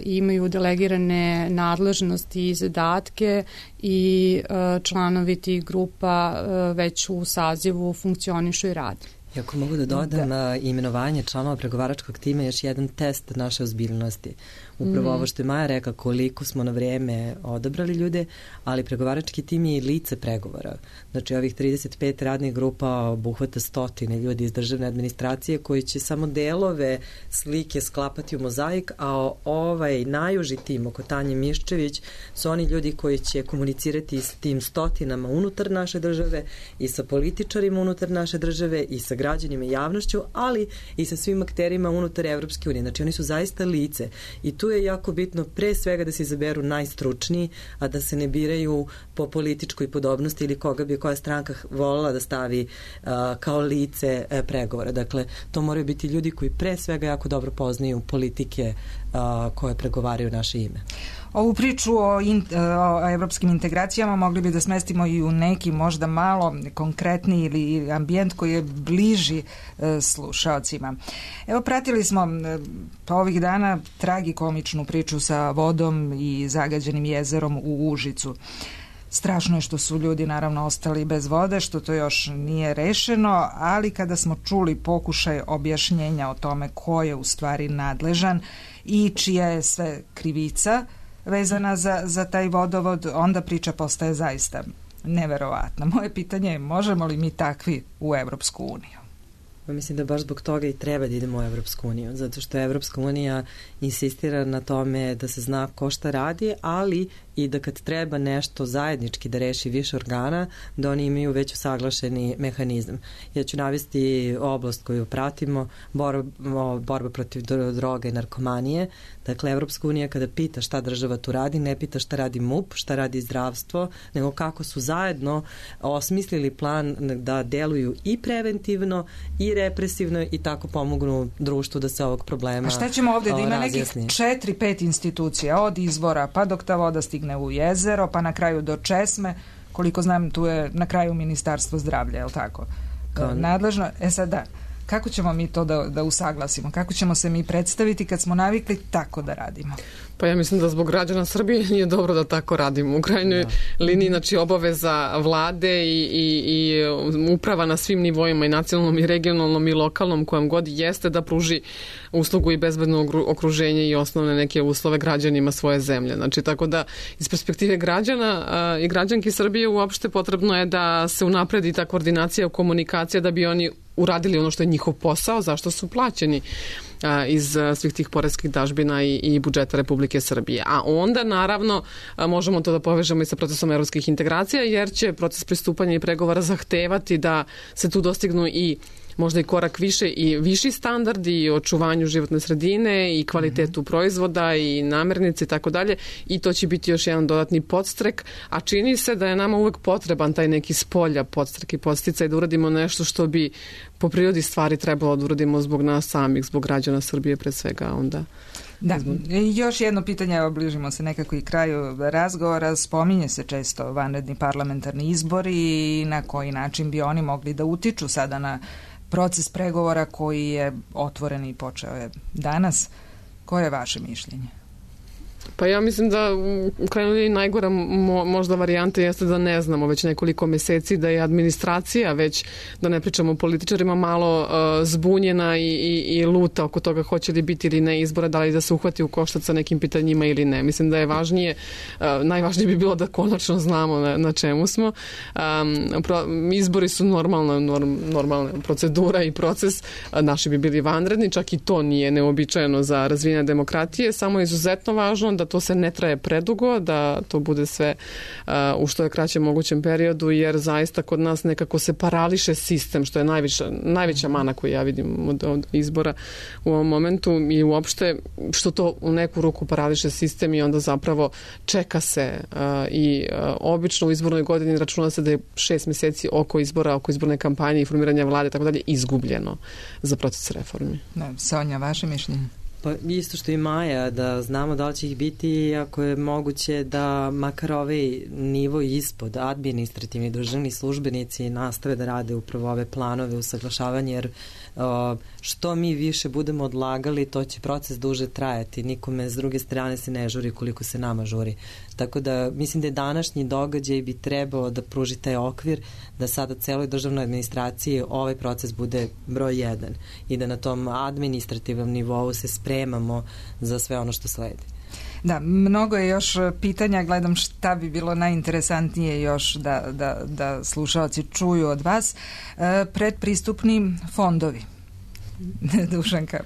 imaju delegirane nadležnosti i zadatke i članovi tih grupa već u sazivu funkcionišu i rade. I ako mogu da dodam, imenovanje članova pregovaračkog tima je još jedan test naše ozbiljnosti. Upravo ovo što je Maja rekla, koliko smo na vreme odabrali ljude, ali pregovarački tim je i lice pregovora. Znači ovih 35 radnih grupa obuhvata 100 ljudi iz državne administracije koji će samo delove slike sklapati u mozaik, a ovaj najuži tim oko Tanje Miščević su oni ljudi koji će komunicirati s tim stotinama unutar naše države i sa političarima unutar naše države i sa građanima i javnošću, ali i sa svim akterima unutar Evropske unije. Znači oni su zaista lice i tu je jako bitno pre svega da se izaberu najstručniji, a da se ne biraju po političkoj podobnosti ili koga bi koja stranka volila da stavi kao lice pregovora. Dakle, to moraju biti ljudi koji pre svega jako dobro poznaju politike koje pregovaraju naše ime. Ovu priču o evropskim integracijama mogli bi da smestimo i u neki možda malo konkretni ili ambijent koji je bliži slušaocima. Evo, pratili smo pa ovih dana tragikomičnu priču sa vodom i zagađenim jezerom u Užicu. Strašno je što su ljudi naravno ostali bez vode, što to još nije rešeno, ali kada smo čuli pokušaj objašnjenja o tome ko je u stvari nadležan i čija je sve krivica vezana za taj vodovod, onda priča postaje zaista neverovatna. Moje pitanje je, možemo li mi takvi u Evropsku uniju? Mislim da baš zbog toga i treba da idemo u Evropsku uniju, zato što Evropska unija insistira na tome da se zna ko šta radi, ali i da kad treba nešto zajednički da reši više organa, da oni imaju već usaglašeni mehanizam. Ja ću navesti oblast koju pratimo, borba protiv droga i narkomanije. Dakle, Evropska unija kada pita šta država tu radi, ne pita šta radi MUP, šta radi zdravstvo, nego kako su zajedno osmislili plan da deluju i preventivno i represivno i tako pomognu društvu da se ovog problema razjasni. A šta ćemo ovdje da ima nekih 4-5 institucija, od izvora pa dok ta voda stigne u jezero, pa na kraju do česme, koliko znam tu je na kraju Ministarstvo zdravlja, je li tako? Nadležno, sad da, kako ćemo mi to da usaglasimo? Kako ćemo se mi predstaviti kad smo navikli tako da radimo? Pa ja mislim da zbog građana Srbije nije dobro da tako radimo. U krajnjoj liniji, znači obaveza vlade i uprava na svim nivoima, i nacionalnom i regionalnom i lokalnom, kojem god jeste, da pruži uslugu i bezbedno okruženje i osnovne neke uslove građanima svoje zemlje. Znači, tako da iz perspektive građana i građanki Srbije uopšte potrebno je da se unapredi ta koordinacija, komunikacija, da bi oni uradili ono što je njihov posao, zašto su plaćeni iz svih tih poreskih dažbina i budžeta Republike Srbije. A onda, naravno, možemo to da povežemo i sa procesom evropskih integracija, jer će proces pristupanja i pregovora zahtevati da se tu dostignu i možda i korak više i viši standardi i očuvanju životne sredine i kvalitetu proizvoda i namirnice i tako dalje, i to će biti još jedan dodatni podstrek, a čini se da je nama uvek potreban taj neki spolja podstrek i podsticaj da uradimo nešto što bi po prirodi stvari trebalo da uradimo zbog nas samih, zbog građana Srbije pre svega onda. Da, još jedno pitanje, evo bližimo se nekako i kraju razgovora, spominje se često vanredni parlamentarni izbori i na koji način bi oni mogli da utiču sada na proces pregovora koji je otvoren i počeo je danas. Koje je vaše mišljenje? Pa ja mislim da u krajnjoj najgora možda varijanta jeste da ne znamo već nekoliko meseci, da je administracija već, da ne pričamo o političarima, malo zbunjena i luta oko toga hoće li biti ili ne izbora, da li da se uhvati u koštac sa nekim pitanjima ili ne. Mislim da je najvažnije bi bilo da konačno znamo na čemu smo. Izbori su normalna procedura i proces, naši bi bili vanredni, čak i to nije neobičajeno za razvijanje demokratije, samo je izuzetno važno važno da to se ne traje predugo, da to bude sve u što je kraćem mogućem periodu, jer zaista kod nas nekako se parališe sistem, što je najveća mana koju ja vidim od izbora u ovom momentu i uopšte što to u neku ruku parališe sistem i onda zapravo čeka se i obično u izbornoj godini računa se da je 6 meseci oko izbora, oko izborne kampanje i formiranja vlade, tako dalje, izgubljeno za proces reformi. Sonja, vaše mišljenje? Pa isto što i Maja, da znamo da li će ih biti, ako je moguće da makar ovaj nivo ispod administrativni državni službenici nastave da rade upravo ove planove usaglašavanja, jer što mi više budemo odlagali, to će proces duže trajati. Nikome s druge strane se ne žuri koliko se nama žuri. Tako da mislim da je današnji događaj bi trebao da pruži taj okvir da sada celoj državnoj administraciji ovaj proces bude broj 1 i da na tom administrativnom nivou se spremamo za sve ono što sledi. Da, mnogo je još pitanja, gledam šta bi bilo najinteresantnije još da slušalci čuju od vas. Predpristupni fondovi. Dušanka.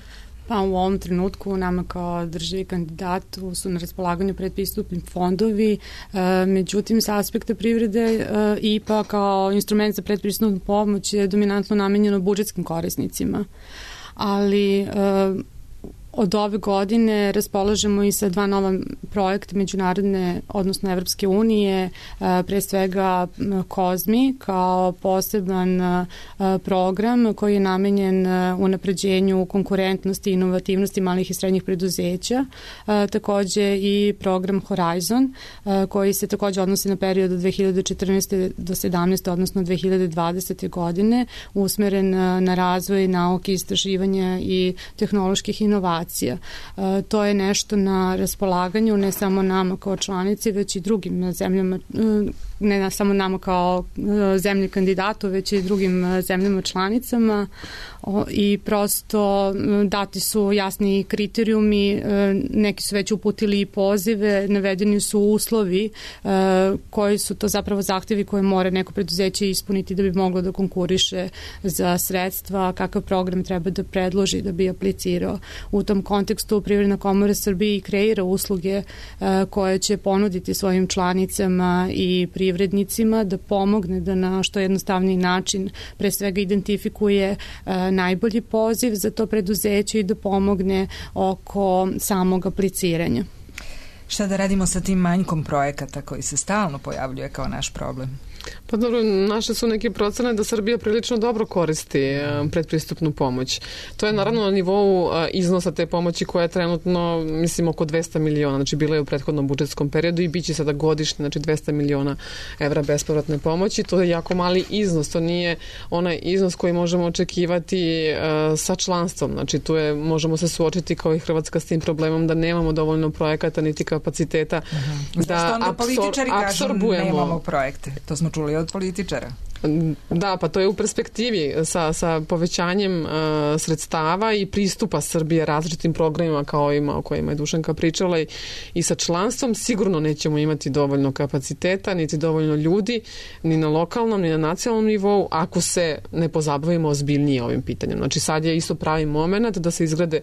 Pa u ovom trenutku nama kao državi kandidatu su na raspolaganju predpristupni fondovi, međutim sa aspekta privrede IPA kao instrument za predpristupnu pomoć je dominantno namenjeno budžetskim korisnicima. Ali od ove godine raspolažemo i sa 2 nova projekta međunarodne, odnosno Evropske unije, pre svega COSMI kao poseban program koji je namenjen unapređenju konkurentnosti i inovativnosti malih i srednjih preduzeća. Takođe i program Horizon koji se takođe odnosi na period od 2014. do 2017. odnosno 2020. godine, usmeren na razvoj nauke, istraživanja i tehnoloških inovacija. To je nešto na raspolaganju ne samo nama kao članici, već i drugim zemljama, ne samo nama kao zemlji kandidatu, već i drugim zemljama članicama i prosto dati su jasni kriterijumi, neki su već uputili i pozive, navedeni su uslovi koji su to zapravo zahtevi koje mora neko preduzeće ispuniti da bi moglo da konkuriše za sredstva, kakav program treba da predloži da bi aplicirao. U tom kontekstu Privredna komora Srbije kreira usluge koje će ponuditi svojim članicama i privrednicima da pomogne da na što jednostavniji način pre svega identifikuje najbolji poziv za to preduzeće i da pomogne oko samog apliciranja. Šta da radimo sa tim manjkom projekata koji se stalno pojavljuje kao naš problem? Pa dobro, naše su neke procene da Srbija prilično dobro koristi predpristupnu pomoć. To je naravno na nivou iznosa te pomoći koja je trenutno, mislim, oko 200 miliona, znači bila je u prethodnom budžetskom periodu i bit će sada godišnje, znači 200 miliona evra bespovratne pomoći. To je jako mali iznos, to nije onaj iznos koji možemo očekivati sa članstvom. Znači tu je, možemo se suočiti kao i Hrvatska s tim problemom da nemamo dovoljno projekata niti kapaciteta da apsorbujemo. Nemamo projekte, to smo čuli od političara. Da, pa to je u perspektivi sa povećanjem sredstava i pristupa Srbije različitim programima kao ovima o kojima je Dušanka pričala i sa članstvom sigurno nećemo imati dovoljno kapaciteta, niti dovoljno ljudi, ni na lokalnom, ni na nacionalnom nivou, ako se ne pozabavimo ozbiljnije ovim pitanjem. Znači sad je isto pravi moment da se izgrade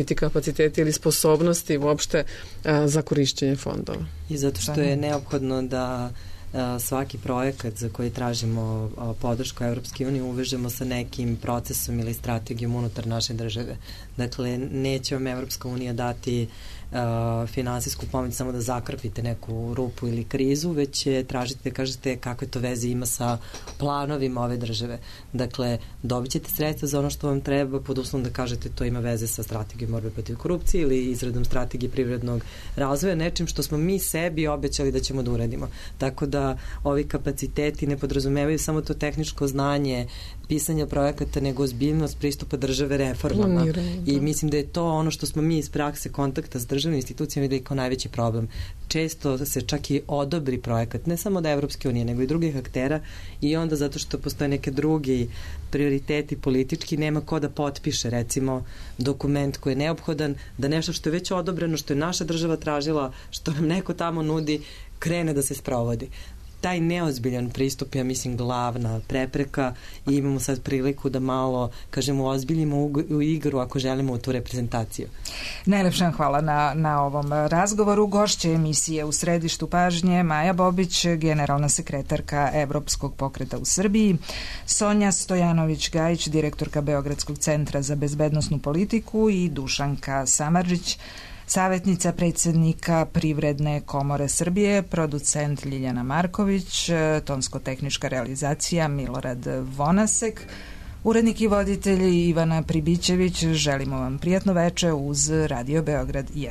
ti kapaciteti ili sposobnosti uopšte za korišćenje fondova. I zato što je neophodno da svaki projekat za koji tražimo podršku Evropske unije uvežemo sa nekim procesom ili strategijom unutar naše države. Dakle, neće vam Evropska unija dati finansijsku pomoć samo da zakrpite neku rupu ili krizu, već će tražite da kažete kakve to veze ima sa planovima ove države. Dakle, dobit ćete sredstva za ono što vam treba pod uslovom da kažete to ima veze sa strategijom borbe protiv korupcije ili izradom strategije privrednog razvoja, nečim što smo mi sebi obećali da ćemo da uradimo. Tako da ovi kapaciteti ne podrazumevaju samo to tehničko znanje pisanja projekata, nego ozbiljnost pristupa države reformama. I mislim da je to ono što smo mi iz prakse kontakta s državnim institucijama videli kao najveći problem. Često se čak i odobri projekat, ne samo da Evropske unije, nego i drugih aktera i onda zato što postoje neke drugi prioriteti politički, nema ko da potpiše recimo dokument koji je neophodan, da nešto što je već odobreno, što je naša država tražila, što nam neko tamo nudi, krene da se sprovodi. taj neozbiljan pristup, ja mislim, glavna prepreka i imamo sad priliku da malo, kažemo, ozbiljimo u igru ako želimo u tu reprezentaciju. Najlepša hvala na ovom razgovoru. Gošće emisije U središtu pažnje Maja Bobić, generalna sekretarka Evropskog pokreta u Srbiji, Sonja Stojanović-Gajić, direktorka Beogradskog centra za bezbednosnu politiku i Dušanka Samardžić, savjetnica predsjednika Privredne komore Srbije, producent Ljiljana Marković, tonsko-tehnička realizacija Milorad Vonasek, urednik i voditelj Ivana Pribićević. Želimo vam prijatno veče uz Radio Beograd 1.